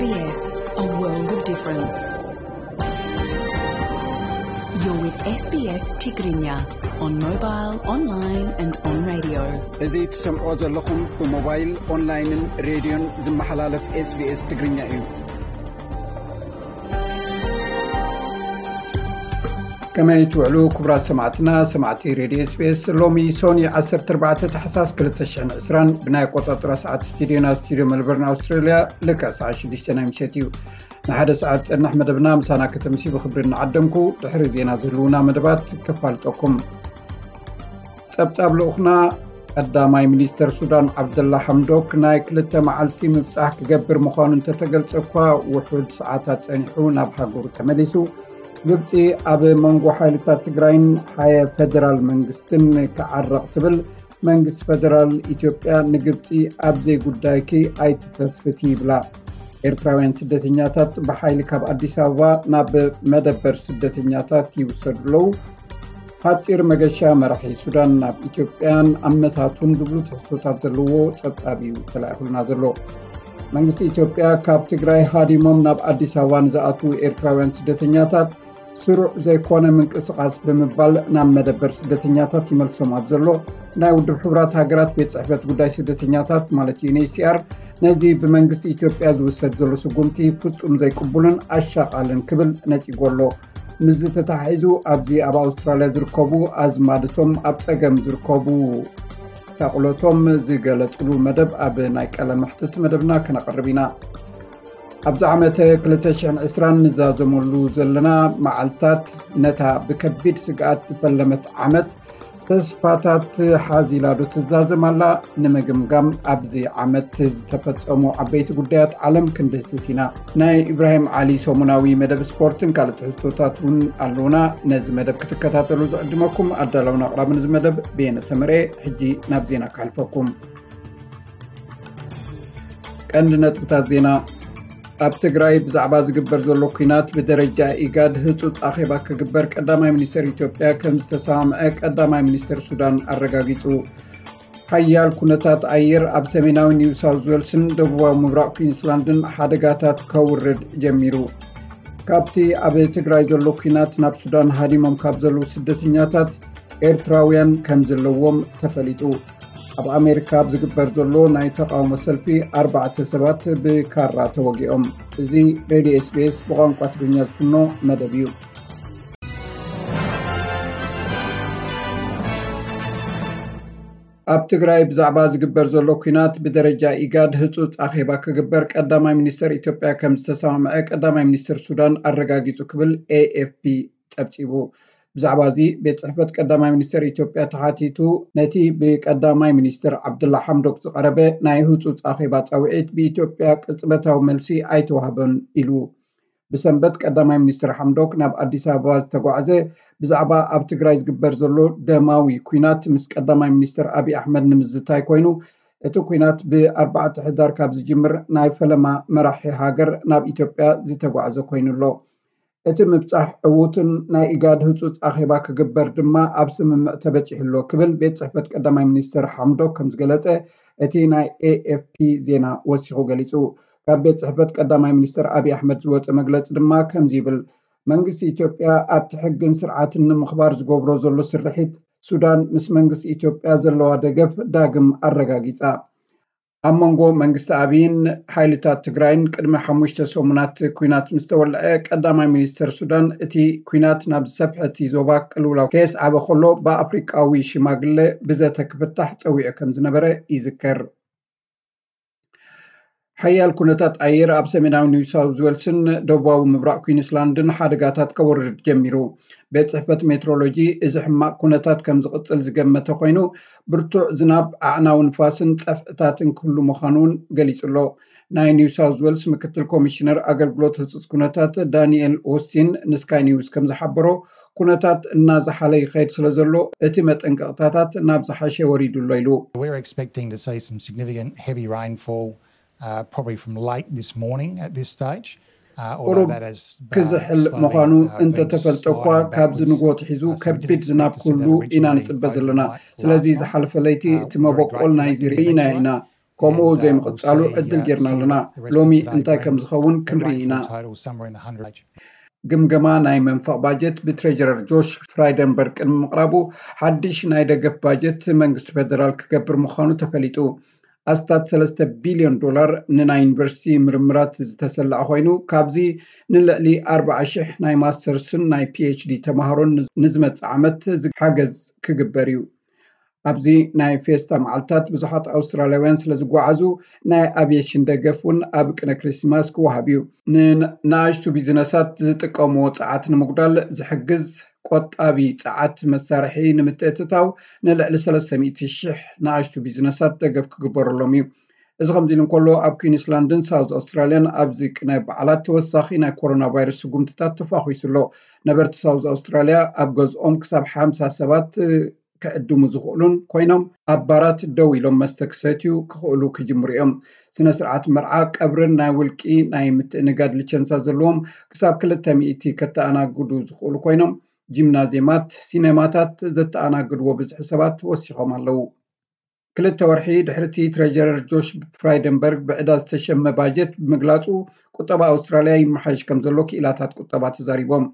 S B S, a world of difference. You're with S B S Tigrinya on mobile, online and on radio. እዚ ትሰምዖ ዘለኹም ብሞባይል፣ ኦንላይንን ሬድዮን ዝመሓላለፍ S B S ትግርኛ እዩ። ከመይ ትውዕሉ ክቡራት ሰማዕትና፣ ሰማዕቲ ሬድዮ S B S? ሎሚ ሶኒ ዓሰርተ ኣርባዕተ ታሕሳስ ክልተ ሽሕን ዕስራን ብናይ ኣቆጻጽራ ሰዓት ስቱዲዮና፣ ስቱዲዮ መልበርን ኣውስትራልያ፣ ልክዕ ሰዓት ሽዱሽተ ናይ ምሸት እዩ። ንሓደ ሰዓት ጸንሕ መደብና ምሳና ከተምሲ ብኽብሪ እናዓደምኩ፣ ድሕሪ ዜና ዝህልውና መደባት ከፋልጠኩም። ጸብጻብ ልኡኽና ቀዳማይ ሚኒስተር ሱዳን ዓብደላ ሓምዶክ ናይ ክልተ መዓልቲ ምብጻሕ ክገብር ምዃኑ እንተተገልጸ እኳ፣ ውሑድ ሰዓታት ጸኒሑ ናብ ሃገሩ ተመሊሱ። ግብጺ ኣብ መንጎ ሓይልታት ትግራይን ሓየ ፈደራል መንግስትን ክዓረቕ ትብል። መንግስቲ ፈደራል ኢትዮጵያ ንግብጺ ኣብ ዘይጉዳይኪ ኣይትፈትፍቲ ይብላ። ኤርትራውያን ስደተኛታት ብሓይሊ ካብ ኣዲስ ኣበባ ናብ መደበር ስደተኛታት ይውሰዱ ኣለዉ። ሓጺር መገሻ መራሒ ሱዳን ናብ ኢትዮጵያን ኣመታቱን ዝብሉ ትሕዝቶታት ዘለዎ ጸብጻብ እዩ ተላኢኹልና ዘሎ። መንግስቲ ኢትዮጵያ ካብ ትግራይ ሃዲሞም ናብ ኣዲስ ኣበባ ንዝኣትዉ ኤርትራውያን ስደተኛታት ስሩዕ ዘይኮነ ምንቅስቓስ ብምባል ናብ መደበር ስደተኛታት ይመልሶም ኣብ ዘሎ ናይ ውድብ ሕቡራት ሃገራት ቤት ጽሕፈት ጉዳይ ስደተኛታት ማለት ዩ ኤን ኤች ሲ ኣር፣ ነዚ ብመንግስቲ ኢትዮጵያ ዝውሰድ ዘሎ ስጉምቲ ፍጹም ዘይቅቡልን ኣሻቓልን ክብል ነጺጎ ኣሎ። ምስዚ ተተሓሒዙ ኣብዚ ኣብ ኣውስትራልያ ዝርከቡ ኣዝማድቶም ኣብ ጸገም ዝርከቡ ታቕሎቶም ዝገለጽሉ መደብ ኣብ ናይ ቀለ መሕትት መደብና ከነቕርብ ኢና። ኣብዚ ዓመት ክልተ ሽሕን ዕስራን ንዛዘመሉ ዘለና መዓልታት ነታ ብከቢድ ስግኣት ዝፈለመት ዓመት ተስፋታት ሓዚላ ዶ ትዛዘም ኣላ? ንምግምጋም ኣብዚ ዓመት ዝተፈጸሙ ዓበይቲ ጉዳያት ዓለም ክንድህስስ ኢና። ናይ ኢብራሂም ዓሊ ሰሙናዊ መደብ ስፖርትን ካልእ ትሕዝቶታት እውን ኣለውና። ነዚ መደብ ክትከታተሉ ዝዕድመኩም ኣዳለውን ኣቕራብን እዚ መደብ ብየነ ሰመረ። ሕጂ ናብ ዜና ክሓልፈኩም። ቀንዲ ነጥብታት ዜና። ኣብ ትግራይ ብዛዕባ ዝግበር ዘሎ ኲናት ብደረጃ ኢጋድ ህጹጽ ኣኼባ ክግበር ቀዳማይ ሚኒስተር ኢትዮጵያ ከም ዝተሰማምዐ ቀዳማይ ሚኒስተር ሱዳን ኣረጋጊጹ። ሓያል ኩነታት ኣየር ኣብ ሰሜናዊ ኒው ሳውዝ ዌልስን ደቡባዊ ምብራቕ ኩዊንስላንድን ሓደጋታት ከውርድ ጀሚሩ። ካብቲ ኣብ ትግራይ ዘሎ ኲናት ናብ ሱዳን ሃዲሞም ካብ ዘለዉ ስደተኛታት ኤርትራውያን ከም ዘለዎም ተፈሊጡ። ኣብ ኣሜሪካ ኣብ ዝግበር ዘሎ ናይ ተቓውሞ ሰልፊ ኣርባዕተ ሰባት ብካራ ተወጊኦም። እዚ ሬድዮ ኤስ ቢ ኤስ ብቋንቋ ትግርኛ ዝፍኖ መደብ እዩ። ኣብ ትግራይ ብዛዕባ ዝግበር ዘሎ ኲናት ብደረጃ ኢጋድ ህጹጽ ኣኼባ ክግበር ቀዳማይ ሚኒስተር ኢትዮጵያ ከም ዝተሰማምዐ ቀዳማይ ሚኒስተር ሱዳን ኣረጋጊጹ ክብል ኤ ኤፍ ፒ ጸብጺቡ። ብዛዕባ እዚ ቤት ጽሕፈት ቀዳማይ ሚኒስተር ኢትዮጵያ ተሓቲቱ፣ ነቲ ብቀዳማይ ሚኒስተር ዓብደላ ሓምዶክ ዝቐረበ ናይ ህጹጽ ኣኼባ ጻውዒት ብኢትዮጵያ ቅጽበታዊ መልሲ ኣይተዋህበን ኢሉ። ብሰንበት ቀዳማይ ሚኒስትር ሓምዶክ ናብ ኣዲስ ኣበባ ዝተጓዕዘ ብዛዕባ ኣብ ትግራይ ዝግበር ዘሎ ደማዊ ኲናት ምስ ቀዳማይ ሚኒስትር ኣብይ ኣሕመድ ንምዝታይ ኮይኑ፣ እቲ ኲናት ብኣርባዕተ ሕዳር ካብ ዝጅምር ናይ ፈለማ መራሒ ሃገር ናብ ኢትዮጵያ ዝተጓዕዘ ኮይኑ ኣሎ። እቲ ምብጻሕ ዕዉትን ናይ ኢጋድ ህጹጽ ኣኼባ ክግበር ድማ ኣብ ስምምዕ ተበጺሑ ኣሎ ክብል ቤት ጽሕፈት ቀዳማይ ሚኒስትር ሓምዶክ ከም ዝገለጸ እቲ ናይ ኤ ኤፍ ፒ ዜና ወሲኹ ገሊጹ። ካብ ቤት ጽሕፈት ቀዳማይ ሚኒስትር ኣብይ ኣሕመድ ዝወጸ መግለጺ ድማ ከምዚ ይብል። መንግስቲ ኢትዮጵያ ኣብቲ ሕግን ስርዓትን ንምኽባር ዝገብሮ ዘሎ ስርሒት ሱዳን ምስ መንግስቲ ኢትዮጵያ ዘለዋ ደገፍ ዳግም ኣረጋጊጻ። ኣብ መንጎ መንግስቲ ኣብይን ሓይልታት ትግራይን ቅድሚ ሓሙሽተ ሰሙናት ኲናት ምስ ተወልዐ ቀዳማይ ሚኒስትር ሱዳን እቲ ኲናት ናብ ዝሰፍሐ እቲ ዞባ ቅልውላው ከየስዓበ ከሎ ብኣፍሪቃዊ ሽማግለ ብዘተ ክፍታሕ ጸዊዑ ከም ዝነበረ ይዝከር። ሓያል ኩነታት ኣየር ኣብ ሰሜናዊ ኒው ሳውዝ ዌልስን ደቡባዊ ምብራቕ ኩዊንስላንድን ሓደጋታት ከወርድ ጀሚሩ። ቤት ጽሕፈት ሜትሮሎጂ እዚ ሕማቕ ኩነታት ከም ዝቕጽል ዝገመተ ኮይኑ፣ ብርቱዕ ዝናብ፣ ኣዕናዊ ንፋስን ጸፍዕታትን ክህሉ ምዃኑ እውን ገሊጹ ኣሎ። ናይ ኒው ሳውዝ ዌልስ ምክትል ኮሚሽነር ኣገልግሎት ህጹጽ ኩነታት ዳንኤል ኦስቲን ንስካይ ኒውስ ከም ዝሓበሮ፣ ኩነታት እናዝሓለ ይኸይድ ስለ ዘሎ፣ እቲ መጠንቀቕታታት ናብ ዝሓሸ ወሪዱ ኣሎ ኢሉ። We're expecting to see some significant heavy rainfall, uh, probably from late this morning at this stage. Uh, although ቁሩብ that has, uh, ክዝሕል slowly, ምዃኑ uh, been እንተተፈልጠ እኳ፣ slowing ካብዚ backwards. ንግሆ ኣትሒዙ Uh, so we did ከቢድ expect ዝናብ to see ክህሉ that ኢና originally ንጽበ ዘለና። Overnight ስለዚ last night, ዝሓለፈ ለይቲ uh, እቲ very መበቆል great ናይዚ for that ርኢናዮ ኢና። ከምኡ ዘይምቕጻሉ ዕድል ጌርና ኣለና። ሎሚ እንታይ ከም ዝኸውን ክንርኢ ኢና። ግምገማ ናይ መንፈቕ ባጀት ብትሬጀረር ጆሽ ፍራይደንበርግ ቅድሚ ምቕራቡ፣ ሓድሽ ናይ ደገፍ ባጀት መንግስቲ ፌደራል ክገብር ምዃኑ ተፈሊጡ። ኣስታት ሰለስተ ቢልዮን ዶላር ንናይ ዩኒቨርሲቲ ምርምራት ዝተሰለዐ ኮይኑ፣ ካብዚ ንልዕሊ ኣርባዓ ሽሕ ናይ ማስተርስን ናይ ፒኤችዲ ተማሃሮን ንዝመጽእ ዓመት ሓገዝ ክግበር እዩ። ኣብዚ ናይ ፌስታ መዓልታት ብዙሓት ኣውስትራልያውያን ስለ ዝጓዓዙ፣ ናይ ኣቪየሽን ደገፍ እውን ኣብ ቅነ ክሪስማስ ክወሃብ እዩ። ንንኣሽቱ ቢዝነሳት ዝጥቀምዎ ጸዓት ንምጉዳል ዝሕግዝ ቆጣቢ ጸዓት መሳርሒ ንምትእትታው ንልዕሊ ሰለስተ ሚእቲ ሽሕ ንኣሽቱ ቢዝነሳት ደገፍ ክግበረሎም እዩ። እዚ ከምዚ ኢሉ እንከሎ፣ ኣብ ኩዊንስላንድን ሳውዝ ኣውስትራልያን ኣብዚ ቅነ በዓላት ተወሳኺ ናይ ኮሮና ቫይረስ ስጉምትታት ተፋኺሱ ኣሎ። ነበርቲ ሳውዝ ኣውስትራልያ ኣብ ገዝኦም ክሳብ ሓምሳ ሰባት ክዕድሙ ዝኽእሉን ኮይኖም፣ ኣብ ባራት ደው ኢሎም መስተ ክሰትዩ ክኽእሉ ክጅምሩ እዮም። ስነ ስርዓት መርዓ፣ ቀብርን ናይ ውልቂ ናይ ምትእንጋድ ልቸንሳ ዘለዎም ክሳብ ክልተ ሚእቲ ከተኣናግዱ ዝኽእሉ ኮይኖም፣ ጂምናዝየማት፣ ሲኔማታት ዘተኣናግድዎ ብዝሒ ሰባት ወሲኾም ኣለዉ። ክልተ ወርሒ ድሕሪቲ ትሬጀረር ጆሽ ፍራይደንበርግ ብዕዳ ዝተሸመ ባጀት ብምግላጹ፣ ቁጠባ ኣውስትራልያ ይመሓየሽ ከም ዘሎ ክኢላታት ቁጠባ ተዛሪቦም።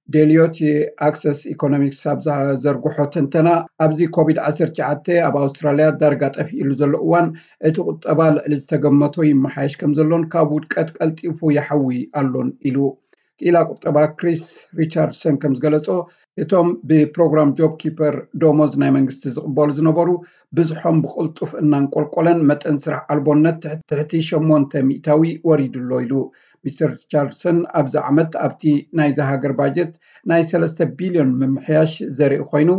ዴልዮት ኣክሰስ ኢኮኖሚክስ ኣብ ዘርግሖ ትንተና፣ ኣብዚ ኮቪድ ዓሰርተ ትሽዓተ ኣብ ኣውስትራልያ ዳርጋ ጠፊእሉ ዘሎ እዋን፣ እቲ ቁጠባ ልዕሊ ዝተገመቶ ይመሓየሽ ከም ዘሎን ካብ ውድቀት ቀልጢፉ ይሓዊ ኣሎን ኢሉ። ክኢላ ቁጠባ ክሪስ ሪቻርድሰን ከም ዝገለጾ፣ እቶም ብፕሮግራም ጆብ ኪፐር ደሞዝ ናይ መንግስቲ ዝቕበሉ ዝነበሩ፣ ብዝሖም ብቕልጡፍ እናንቆልቆለን መጠን ስራሕ ኣልቦነት ትሕቲ ሸሞንተ ሚእታዊ ወሪዱ ኣሎ ኢሉ። ሚስተር ሪቻርድሰን ኣብዚ ዓመት ኣብቲ ናይዚ ሃገር ባጀት ናይ ሰለስተ ቢልዮን ምምሕያሽ ዘርኢ ኮይኑ፣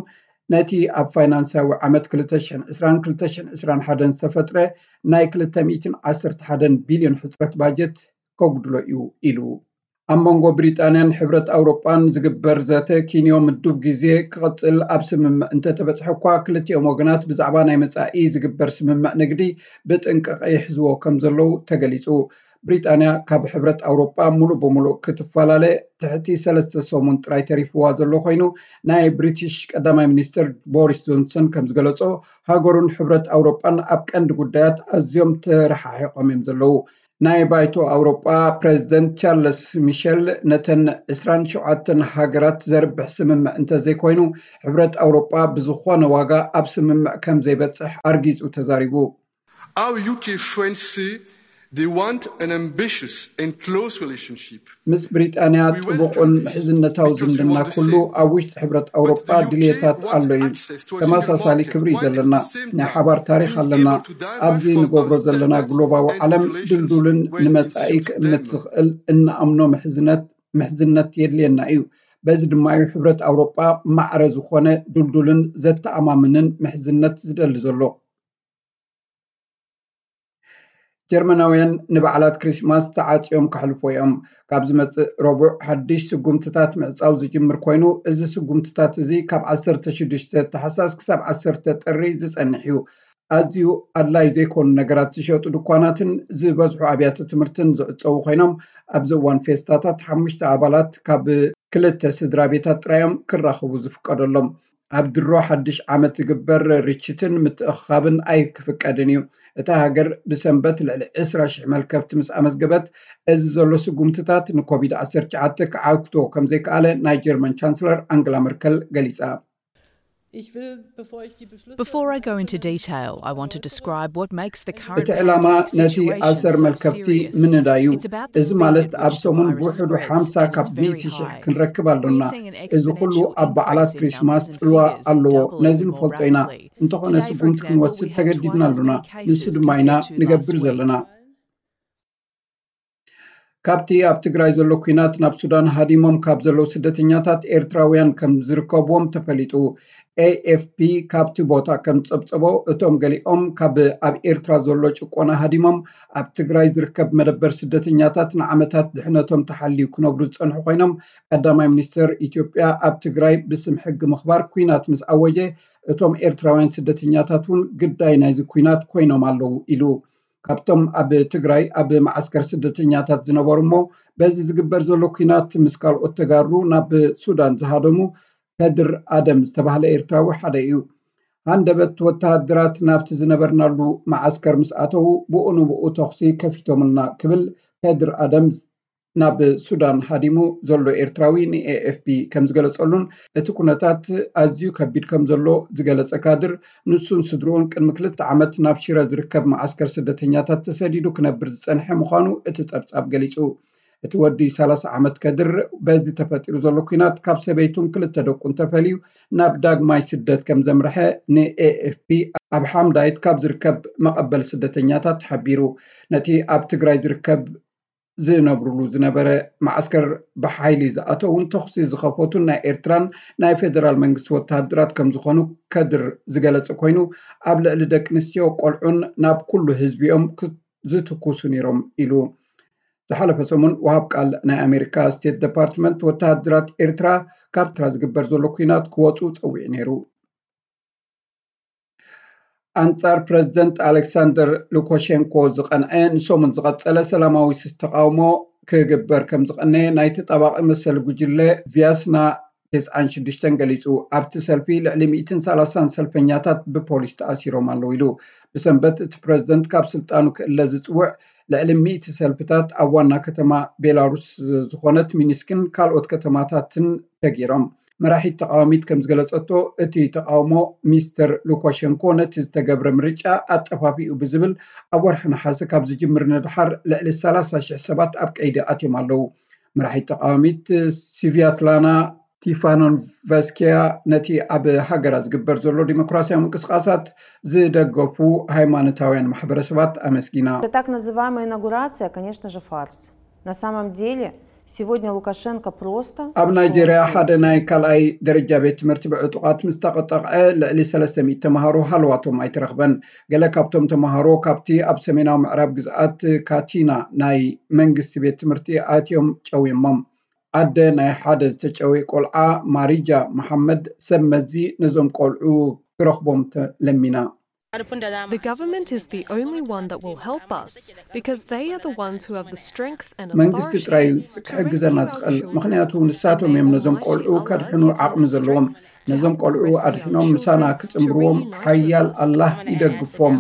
ነቲ ኣብ ፋይናንሳዊ ዓመት ክልተ ሽሕን ዕስራን ክልተ ሽሕን ዕስራን ሓደን ዝተፈጥረ ናይ ክልተ ሚእትን ዓሰርተ ሓደን ቢልዮን ሕጽረት ባጀት ከጉድሎ እዩ ኢሉ። ኣብ መንጎ ብሪጣንያን ሕብረት ኣውሮጳን ዝግበር ዘተ ኪንዮ ምዱብ ግዜ ክቕጽል ኣብ ስምምዕ እንተተበጽሐ እኳ፣ ክልቲኦም ወገናት ብዛዕባ ናይ መጻኢ ዝግበር ስምምዕ ንግዲ ብጥንቃቐ ይሕዝዎ ከም ዘለዉ ተገሊጹ። ብሪጣንያ ካብ ሕብረት ኣውሮጳ ሙሉእ ብሙሉእ ክትፈላለ ትሕቲ ሰለስተ ሰሙን ጥራይ ተሪፍዋ ዘሎ ኮይኑ፣ ናይ ብሪቲሽ ቀዳማይ ሚኒስትር ቦሪስ ጆንሰን ከም ዝገለጾ፣ ሃገሩን ሕብረት ኣውሮጳን ኣብ ቀንዲ ጉዳያት ኣዝዮም ተረሓሒቖም እዮም ዘለዉ። ናይ ባይቶ ኣውሮጳ ፕሬዚደንት ቻርለስ ሚሸል፣ ነተን ዕስራን ሸውዓተን ሃገራት ዘርብሕ ስምምዕ እንተዘይኮይኑ፣ ሕብረት ኣውሮጳ ብዝኾነ ዋጋ ኣብ ስምምዕ ከም ዘይበጽሕ ኣርጊጹ ተዛሪቡ። Our U K friends say they want an ambitious and close relationship. ምስ ብሪጣንያ ጥቡቕን ምሕዝነታዊ ዝምድና ክህሉ ኣብ ውሽጢ ሕብረት ኣውሮጳ ድልየታት ኣሎ እዩ። ተመሳሳሊ ክብሪ እዩ ዘለና። ናይ ሓባር ታሪኽ ኣለና። ኣብዚ ንገብሮ ዘለና ግሎባዊ ዓለም ድልዱልን ንመጻኢ ክእምት ዝኽእል እንኣምኖ ምሕዝነት ምሕዝነት የድልየና እዩ። በዚ ድማ እዩ ሕብረት ኣውሮጳ ማዕረ ዝኾነ ድልዱልን ዘተኣማምንን ምሕዝነት ዝደሊ ዘሎ። ጀርመናውያን ንበዓላት ክሪስማስ ተዓጽዮም ከሕልፎ እዮም። ካብ ዝመጽእ ረቡዕ ሓድሽ ስጉምትታት ምዕጻው ዝጅምር ኮይኑ፣ እዚ ስጉምትታት እዚ ካብ ዓሰርተ ሽዱሽተ ታሕሳስ ክሳብ ዓሰርተ ጥሪ ዝጸንሕ እዩ። ኣዝዩ ኣድላይ ዘይኮኑ ነገራት ዝሸጡ ድኳናትን ዝበዝሑ ኣብያተ ትምህርትን ዝዕጸዉ ኮይኖም፣ ኣብዚ እዋን ፌስታታት ሓሙሽተ ኣባላት ካብ ክልተ ስድራ ቤታት ጥራዮም ክራኸቡ ዝፍቀደሎም። ኣብ ድሮ ሓድሽ ዓመት ዝግበር ርችትን ምትእኽኻብን ኣይክፍቀድን እዩ። እታ ሃገር ብሰንበት ልዕሊ ዕስራ ሽሕ መልከፍቲ ምስ ኣመዝገበት፣ እዚ ዘሎ ስጉምትታት ንኮቪድ ዓሰርተ ትሽዓተ ክዓግቶ ከም ዘይከኣለ ናይ ጀርመን ቻንስለር ኣንግላ መርከል ገሊጻ። Before I go into detail, I want to describe what makes the current እቲ ዕላማ ነቲ ኣሰር መልከፍቲ ምንዳይ እዩ። እዚ ማለት ኣብ ሰሙን ብውሕዱ ሓምሳ ካብ ሚእቲ ሽሕ ክንረክብ ኣሎና። እዚ ኩሉ ኣብ በዓላት ክሪስማስ ጽልዋ ኣለዎ። ነዚ ንፈልጦ ኢና። እንተኾነ ስጉምቲ ክንወስድ ተገዲድና ኣሎና። ንሱ ድማ ኢና ንገብር ዘለና። ካብቲ ኣብ ትግራይ ዘሎ ኲናት ናብ ሱዳን ሃዲሞም ካብ ዘለዉ ስደተኛታት ኤርትራውያን ከም ዝርከብዎም ተፈሊጡ። ኤኤፍፒ ካብቲ ቦታ ከም ዝጸብጸቦ፣ እቶም ገሊኦም ካብ ኣብ ኤርትራ ዘሎ ጭቆና ሃዲሞም ኣብ ትግራይ ዝርከብ መደበር ስደተኛታት ንዓመታት ድሕነቶም ተሓልዩ ክነብሩ ዝጸንሑ ኮይኖም፣ ቀዳማይ ሚኒስተር ኢትዮጵያ ኣብ ትግራይ ብስም ሕጊ ምኽባር ኲናት ምስ ኣወጀ፣ እቶም ኤርትራውያን ስደተኛታት እውን ግዳይ ናይዚ ኲናት ኮይኖም ኣለዉ ኢሉ። ካብቶም ኣብ ትግራይ ኣብ መዓስከር ስደተኛታት ዝነበሩ እሞ በዚ ዝግበር ዘሎ ኲናት ምስ ካልኦት ተጋሩ ናብ ሱዳን ዝሃደሙ ከድር ኣደም ዝተባህለ ኤርትራዊ ሓደ እዩ። ሃንደበት ወተሃደራት ናብቲ ዝነበርናሉ መዓስከር ምስ ኣተዉ፣ ብኡ ንብኡ ተኹሲ ከፊቶምልና ክብል ከድር ኣደም ናብ ሱዳን ሃዲሙ ዘሎ ኤርትራዊ ንኤኤፍፒ ከም ዝገለጸሉን፣ እቲ ኩነታት ኣዝዩ ከቢድ ከም ዘሎ ዝገለጸ ካድር፣ ንሱን ስድርኡን ቅድሚ ክልተ ዓመት ናብ ሽረ ዝርከብ መዓስከር ስደተኛታት ተሰዲዱ ክነብር ዝጸንሐ ምዃኑ እቲ ጸብጻብ ገሊጹ። እቲ ወዲ ሰላሳ ዓመት ከድር፣ በዚ ተፈጢሩ ዘሎ ኲናት ካብ ሰበይቱን ክልተ ደቁን ተፈልዩ ናብ ዳግማይ ስደት ከም ዘምርሐ ንኤኤፍፒ ኣብ ሓምዳይት ካብ ዝርከብ መቐበል ስደተኛታት ሓቢሩ። ነቲ ኣብ ትግራይ ዝርከብ ዝነብሩሉ ዝነበረ መዓስከር ብሓይሊ ዝኣተውን ተኹሲ ዝኸፈቱን ናይ ኤርትራን ናይ ፌደራል መንግስቲ ወተሃደራት ከም ዝኾኑ ከድር ዝገለጸ ኮይኑ፣ ኣብ ልዕሊ ደቂ ኣንስትዮ፣ ቆልዑን ናብ ኩሉ ህዝቢኦም ክ- ዝትኩሱ ነይሮም ኢሉ። ዝሓለፈ ሰሙን ወሃብ ቃል ናይ ኣሜሪካ ስቴት ዲፓርትመንት፣ ወተሃደራት ኤርትራ ካብ ኤርትራ ዝግበር ዘሎ ኲናት ክወፁ ጸዊዑ ነይሩ። ኣንጻር ፕረዚደንት ኣሌክሳንደር ሉካሸንኮ ዝቐንዐ ንሰሙን ዝቐጸለ ሰላማዊ ተቓውሞ ክግበር ከም ዝቐነየ ናይ ተጣባቒ መሰል ጉጅለ ቪያስና ተስዓን ሽዱሽተን ገሊጹ። ኣብቲ ሰልፊ ልዕሊ ሚእትን ሰላሳን ሰልፈኛታት ብፖሊስ ተኣሲሮም ኣለዉ ኢሉ። ብሰንበት እቲ ፕረዚደንት ካብ ስልጣኑ ክእለ ዝጽውዕ ልዕሊ ሚእቲ ሰልፍታት ኣብ ዋና ከተማ ቤላሩስ ዝኾነት ሚኒስክን ካልኦት ከተማታትን ተገይሮም። መራሒት ተቃዋሚት ከም ዝገለጸቶ፣ እቲ ተቃውሞ ሚስተር ሉካሸንኮ ነቲ ዝተገብረ ምርጫ ኣጠፋፊኡ ብዝብል ኣብ ወርሒ ነሓሰ ካብ ዝጅምር ንድሓር ልዕሊ ሰላሳ ሽሕ ሰባት ኣብ ቀይዲ ኣትዮም ኣለዉ። መራሒት ተቃዋሚት ስቪያትላና ቲፋኖንቨስኪያ ነቲ ኣብ ሃገራ ዝግበር ዘሎ ዲሞክራሲያዊ ምንቅስቃሳት ዝደገፉ ሃይማኖታውያን ማሕበረሰባት ኣመስጊና። Это так называемая инаугурация, конечно же, фарс. На самом деле, сегодня Лукашенко просто ኣብ ушёл ናይጄርያ на ሓደ пенсию. ናይ ካልኣይ ደረጃ ቤት ትምህርቲ ብዕጡቓት ምስ ተቐጠቕዐ ልዕሊ ሰለስተ ሚእቲ ተምሃሮ ሃለዋቶም ኣይተረኽበን። ገለ ካብቶም ተምሃሮ ካብቲ ኣብ ሰሜናዊ ምዕራብ ግዝኣት ካቲና ናይ መንግስቲ ቤት ትምህርቲ ኣትዮም ጨውዮሞም። ኣደ ናይ ሓደ ዝተጨወየ ቆልዓ ማሪጃ መሓመድ ሰብ መዚ ነዞም ቆልዑ ክረኽቦም ተለሚና። The government is the only one that will help us because they are the ones who have the strength and መንግስቲ authority ጥራይ to ክሕግዘና rescue our ዝኽእል፣ children. ምኽንያቱ ንሳቶም እዮም ነዞም ቆልዑ ከድሕኑ ዓቕሚ ዘለዎም። ነዞም ቆልዑ ኣድሕኖም ምሳና ክጽንብዎም ሓያል ኣላህ ይደግፎም።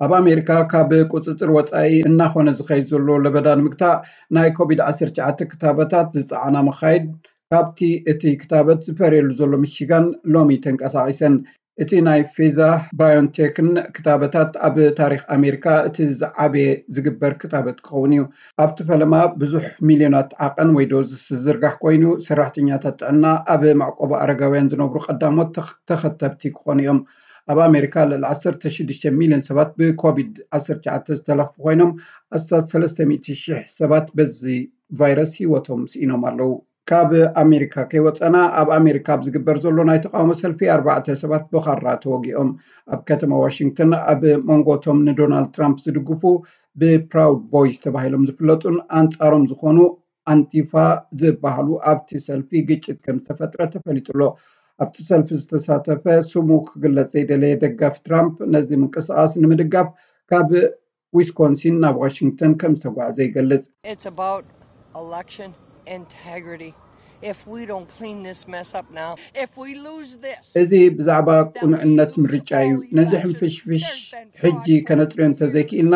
ኣብ ኣሜሪካ ካብ ቁፅፅር ወፃኢ እናኾነ ዝኸይድ ዘሎ ለበዳ ንምግታእ ናይ ኮቪድ ዓሰርተ ትሽዓተ ክታበታት ዝፀዓና መኻይድ ካብቲ እቲ ክታበት ዝፈርየሉ ዘሎ ሚሽጋን ሎሚ ተንቀሳቒሰን። እቲ ናይ ፌዛ ባዮንቴክን ክታበታት ኣብ ታሪክ ኣሜሪካ እቲ ዝዓበየ ዝግበር ክታበት ክኸውን እዩ። ኣብቲ ፈለማ ብዙሕ ሚልዮናት ዓቐን ወይ ዶዝስ ዝዝርጋሕ ኮይኑ፣ ሰራሕተኛታት ጥዕና ኣብ መዕቆቢ ኣረጋውያን ዝነብሩ ቀዳሞት ተኽ- ተኸተብቲ ክኾኑ እዮም። ኣብ ኣሜሪካ ልዕሊ ዓሰርተ ሽዱሽተ ሚልዮን ሰባት ብኮቪድ ዓሰርተ ትሽዓተ ዝተለኽፉ ኮይኖም፣ ኣስታት ሰለስተ ሚእቲ ሽሕ ሰባት በዚ ቫይረስ ህይወቶም ስኢኖም ኣለዉ። ካብ ኣሜሪካ ከይወፀና፣ ኣብ ኣሜሪካ ኣብ ዝግበር ዘሎ ናይ ተቃውሞ ሰልፊ ኣርባዕተ ሰባት ብኻራ ተወጊኦም። ኣብ ከተማ ዋሽንግተን ኣብ መንጎ እቶም ንዶናልድ ትራምፕ ዝድግፉ ብፕራውድ ቦይስ ተባሂሎም ዝፍለጡን ኣንጻሮም ዝኾኑ ኣንቲፋ ዝበሃሉ ኣብቲ ሰልፊ ግጭት ከም ዝተፈጥረ ተፈሊጡ ኣሎ። ኣብቲ ሰልፊ ዝተሳተፈ ስሙ ክግለጽ ዘይደለየ ደጋፊ ትራምፕ ነዚ ምንቅስቃስ ንምድጋፍ ካብ ዊስኮንሲን ናብ ዋሽንግተን ከም ዝተጓዕዘ ይገልጽ። It's about election integrity. If we don't clean this mess up now, if we lose this, እዚ ብዛዕባ ቅኑዕነት ምርጫ እዩ። ነዚ ሕንፍሽፍሽ ሕጂ ከነጽርዮ እንተዘይክኢልና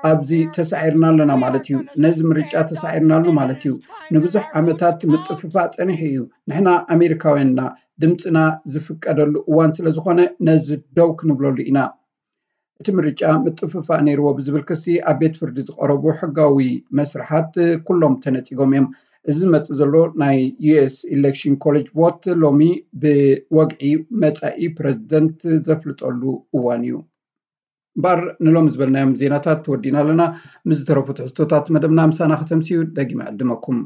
ኣብዚ ተሳዒርና ኣለና ማለት እዩ። ነዚ ምርጫ ተሳዒርናሉ ማለት እዩ። ንብዙሕ ዓመታት ምጥፍፋእ ጸኒሑ እዩ። ንሕና ኣሜሪካውያንና ድምፅና ዝፍቀደሉ እዋን ስለ ዝኾነ ነዚ ደው ክንብለሉ ኢና። እቲ ምርጫ ምጥፍፋእ ነይርዎ ብዝብል ክሲ ኣብ ቤት ፍርዲ ዝቐረቡ ሕጋዊ መስርሓት ኩሎም ተነፂጎም እዮም። እዚ ዝመፅእ ዘሎ ናይ ዩኤስ ኢሌክሽን ኮሌጅ ቮት ሎሚ ብወግዒ መፃኢ ፕረዚደንት ዘፍልጠሉ እዋን እዩ። እምበኣር ንሎሚ ዝበልናዮም ዜናታት ተወዲና ኣለና። ምስ ዝተረፉ ትሕዝቶታት መደብና ምሳና ከተምስዩ ደጊመ ዕድመኩም።